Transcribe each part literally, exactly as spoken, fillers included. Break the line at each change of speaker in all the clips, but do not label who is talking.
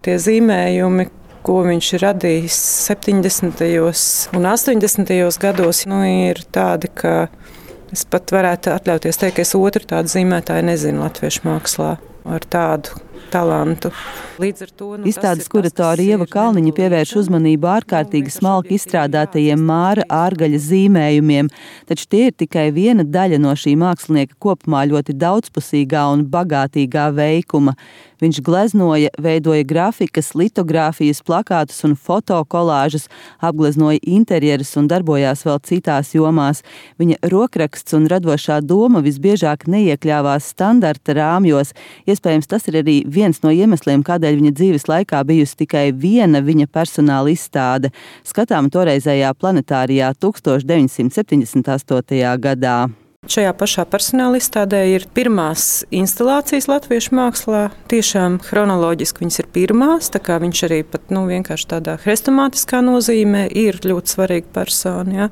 tie zīmējumi, ko viņš ir radījis septiņdesmitajos un astoņdesmitajos gados, nu, ir tādi, ka es pat varētu atļauties teikt, ka es otru tādu zīmētāju nezinu latviešu mākslā ar tādu talantu. Līdz ar to, nu,
Izstādes kuratora Ieva Kalniņa pievērš uzmanību ārkārtīgi smalki izstrādātajiem Māra Ārgaļa zīmējumiem, taču tie ir tikai viena daļa no šī mākslinieka kopumā ļoti daudzpusīgā un bagātīgā veikuma. Viņš gleznoja, veidoja grafikas, litogrāfijas, plakātus un fotokolāžas, apgleznoja interjerus un darbojās vēl citās jomās. Viņa rokraksts un radošā doma visbiežāk neiekļāvās standarta rāmjos. Iespējams, tas ir arī viens no iemesliem, kādēļ viņa dzīves laikā bijusi tikai viena viņa personāla izstāde, skatām toreizējā Planetārijā tūkstoš deviņsimt septiņdesmit astotajā gadā.
Šajā pašā personāla izstādē ir pirmās instalācijas latviešu mākslā. Tiešām chronoloģiski viņas ir pirmās, tā kā viņš arī pat nu, vienkārši tādā hrestomātiskā nozīmē ir ļoti svarīga persona, ja,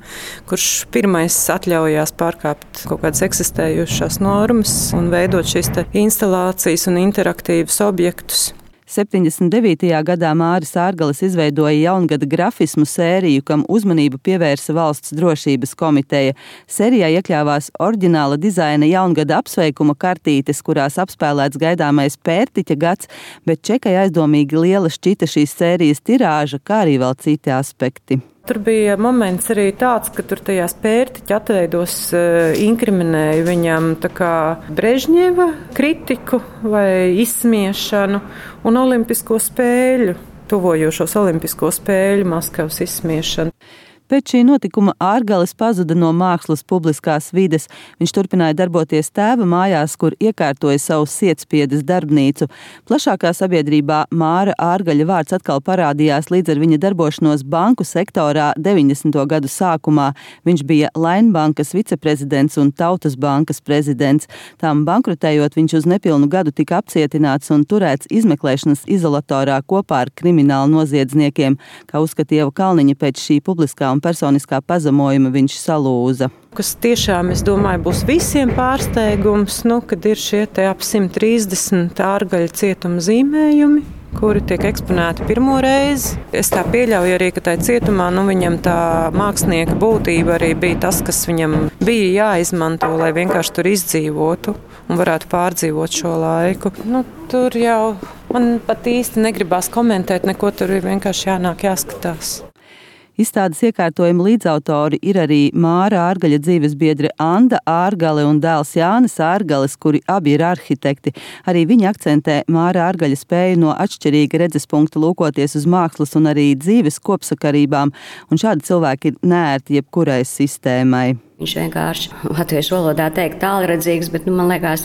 kurš pirmais atļaujās pārkāpt kaut kādas eksistējušās normas un veidot šīs instalācijas un interaktīvus objektus.
septiņdesmit devītajā gadā Māris Ārgalis izveidoja jaungada grafismu sēriju, kam uzmanību pievērsa Valsts drošības komiteja. Sērijā iekļāvās oriģināla dizaina jaungada apsveikuma kartītes, kurās apspēlēts gaidāmais pērtiķa gads, bet čekai aizdomīgi liela šķita šīs sērijas tirāža, kā arī vēl citi aspekti.
Tur bija moments arī tāds, ka tur tajās pērtiķa atveidos uh, inkriminēja viņam tā kā Brežņeva kritiku vai izsmiešanu un olimpisko spēļu, tuvojošos olimpisko spēļu Maskavas izsmiešanu.
Pēc šī notikuma Ārgalis pazuda no mākslas publiskās vides. Viņš turpināja darboties tēva mājās, kur iekārtoja savu sietspiedes darbnīcu. Plašākā sabiedrībā Māra Ārgaļa vārds atkal parādījās līdz ar viņa darbošanos banku sektorā deviņdesmito gadu sākumā. Viņš bija Lainbankas viceprezidents un Tautas bankas prezidents. Tām bankrotējot, viņš uz nepilnu gadu tika apcietināts un turēts izmeklēšanas izolatorā kopā ar kriminālu noziedzniekiem. Kā uzskata Ieva Kalniņa, pēc šī publiskā un personiskā pazemojuma viņš salūza.
Kas tiešām, es domāju, būs visiem pārsteigums, nu, kad ir šie te ap simt trīsdesmit Ārgaļa cietuma zīmējumi, kuri tiek eksponēti pirmo reizi. Es tā pieļauju arī, ka tai cietumā, nu, viņam tā mākslinieka būtība arī bija tas, kas viņam bija jāizmanto, lai vienkārši tur izdzīvotu un varētu pārdzīvot šo laiku. Nu, tur jau man pat īsti negribās komentēt, neko tur ir vienkārši jānāk jāskatās.
Izstādes iekārtojuma līdzautori ir arī Māra Ārgaļa dzīvesbiedre Anda Ārgale un dēls Jānis Ārgales, kuri abi ir arhitekti. Arī viņi akcentē Māra Ārgaļa spēju no atšķirīga redzes punkta lūkoties uz mākslas un arī dzīves kopsakarībām, un šādi cilvēki ir neērti jebkurai sistēmai.
Viņš vienkārši latviešu valodā teikt tālredzīgs, bet nu, man liekas,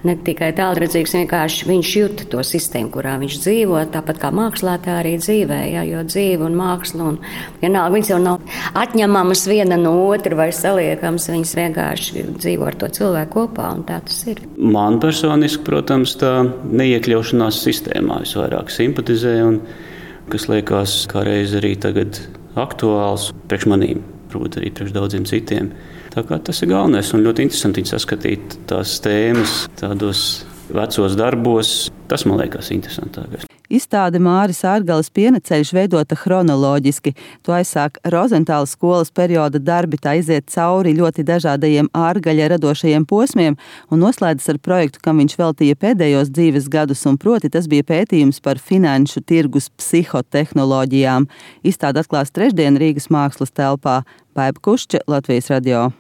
ne tikai tālredzīgs, vienkārši viņš jūta to sistēmu, kurā viņš dzīvo, tāpat kā mākslā, tā arī dzīvē, ja, jo dzīve un māksla, un vienalga, viņas jau nav atņemamas viena no otra vai saliekams, viņas vienkārši dzīvo ar to cilvēku kopā, un tā tas ir.
Man personiski, protams, tā neiekļaušanās sistēmā es vairāk simpatizēju, un kas liekas kā reiz arī tagad aktuāls priekš manīm. Varbūt arī priekš daudziem citiem. Tā kā tas ir galvenais un ļoti interesanti saskatīt tās tēmas tādos vecos darbos. Tas man liekas interesantākais.
Izstāde Māris Ārgalis Pienaceļš veidota chronoloģiski. To aizsāk Rozentāla skolas perioda darbi, tā iziet cauri ļoti dažādajiem Ārgaļa radošajiem posmiem un noslēdzas ar projektu, kam viņš veltīja pēdējos dzīves gadus, un proti tas bija pētījums par finanšu tirgus psihotehnoloģijām. Izstāde atklās trešdien Rīgas mākslas telpā. Baiba Kušča, Latvijas radio.